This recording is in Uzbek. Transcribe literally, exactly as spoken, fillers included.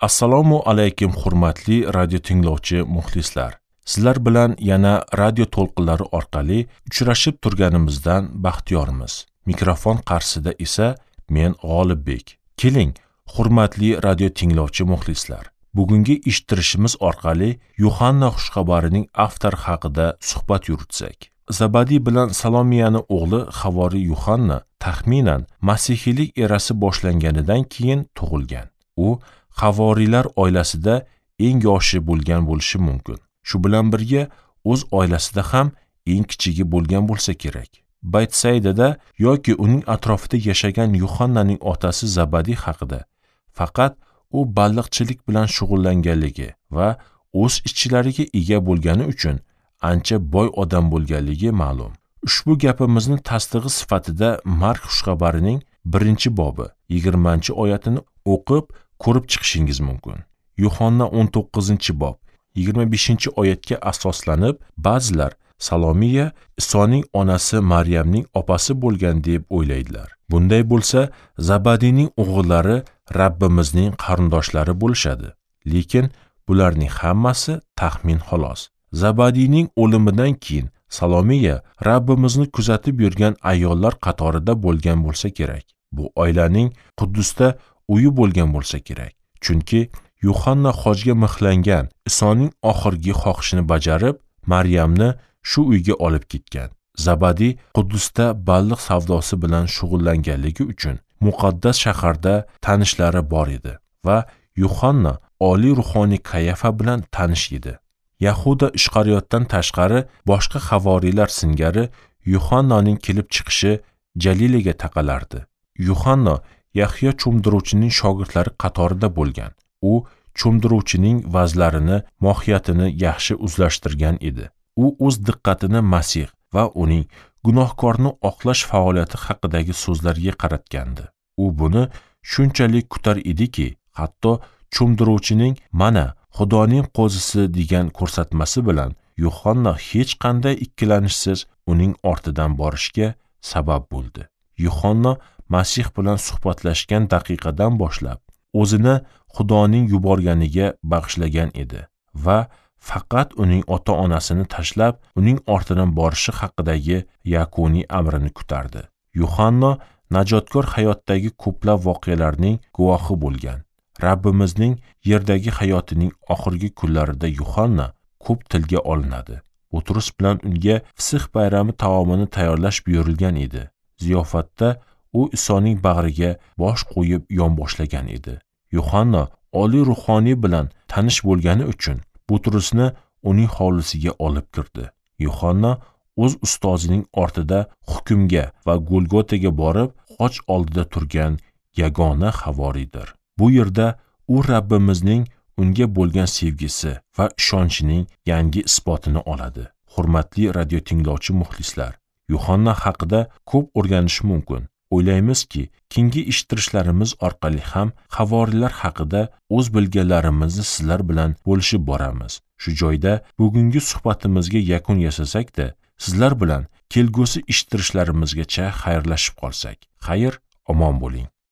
Assalomu alaykum hurmatli radio tinglovchi muxlislar. Sizlar bilan yana radio to'lqinlari orqali uchrashib turganimizdan baxtiyormiz. Mikrofon qarshisida esa men G'olibbek. Keling, hurmatli radio tinglovchi muxlislar, bugungi eshittirishimiz orqali Yuhanna xushxabarining avtori haqida suhbat yuritsak. Zabadiy bilan Salomiyani o'g'li Havori Yuhanna taxminan masihiylik erasi boshlanganidan keyin tug'ilgan. U havoriylar oilasida eng yoshi bo'lgan bo'lishi mumkin. Shu bilan birga o'z oilasida ham eng kichigi bo'lgan bo'lsa kerak. Baytsaydada yoki uning atrofida yashagan Yuhannaning otasi Zabadiy haqida faqat u baliqchilik bilan shug'ullanganligi va o'z ishchilariga ega bo'lgani uchun ancha boy odam bo'lganligi ma'lum. Ushbu gapimizni tasdig'i sifatida Mark xushxabarining birinchi bobi yigirmanchi oyatini o'qib ko'rib chiqishingiz mumkin. Yuhanna o'n to'qqizinchi bob yigirma beshinchi oyatga asoslanib, ba'zilar Salomiya Isoning onasi Maryamning opasi bo'lgan deb o'ylaydilar. Bunday bo'lsa, Zabadiyning o'g'illari Rabbimizning qarindoshlari bo'lishadi. Lekin bularning hammasi taxmin xolos. Zabadiyning o'limidan keyin Salomiya Rabbimizni kuzatib yurgan ayollar qatorida bo'lgan bo'lsa kerak. Bu oilaning Quddusda uyi bo'lgan bo'lsa kerak. Chunki Yuhanna hojga mixlangan Isoning oxirgi xohishini bajarib, Maryamni shu uyga olib ketgan. Zabadiy Quddusda baliq savdosi bilan shug'ullanganligi uchun muqaddas shaharda tanishlari bor edi va Yuhanna oliy ruhoniy Kayafa bilan tanish edi. Yahuda Ishqariyotdan tashqari boshqa havoriylar singari Yuhannaning kelib chiqishi Jalilaga taqalardi. Yuhanna Yahyo cho'mdiruvchining shogirdlari qatorida bo'lgan. U cho'mdiruvchining vazlarini, mohiyatini yaxshi o'zlashtirgan edi. U o'z diqqatini Masih va uning gunohkorni oqlash faoliyati haqidagi so'zlarga qaratgandi. U buni shunchalik kutar ediki, hatto cho'mdiruvchining mana Xudoning qo'zisi degan ko'rsatmasi bilan Yuhanna hech qanday ikkilanishsiz uning ortidan borishga sabab bo'ldi. Yuhanna Masih bilan suhbatlashgan daqiqadan boshlab o'zini Xudoning yuborganiga bag'ishlagan edi va faqat uning ota-onasini tashlab, uning ortidan borishi haqidagi yakuniy amrini kutardi. Yuhanna najotkor hayotdagi ko'plab voqealarning guvohi bo'lgan. Rabbimizning yerdagi hayotining oxirgi kunlarida Yuhanna ko'p tilga olinadi. Butrus bilan unga Fisix bayrami taomini tayyorlash buyurilgan edi. Ziyofatda u Isoning bag'riga bosh qo'yib yonboshlagan edi. Yuhanna oliy ruhoniy bilan tanish bo'lgani uchun Butrusni uning hovlisiga olib kirdi. Yuhanna o'z ustozining ortida hukmga va Golgotaga borib, xoch oldida turgan yagona havoriydir. Bu yerda u Rabbimizning unga bo'lgan sevgisi va ishonchining yangi isbotini oladi. Hurmatli radio tinglovchi muxlislar, Yuhanna haqida ko'p o'rganish mumkin. O'ylaymizki, keyingi eshittirishlarimiz orqali ham havoriylar haqida o'z bilganlarimizni sizlar bilan bo'lishib boramiz. Shu joyda bugungi suhbatimizga yakun yasasak-da, sizlar bilan kelgusi eshittirishlarimizgacha xayrlashib qolsak. Xayr, omon bo'ling.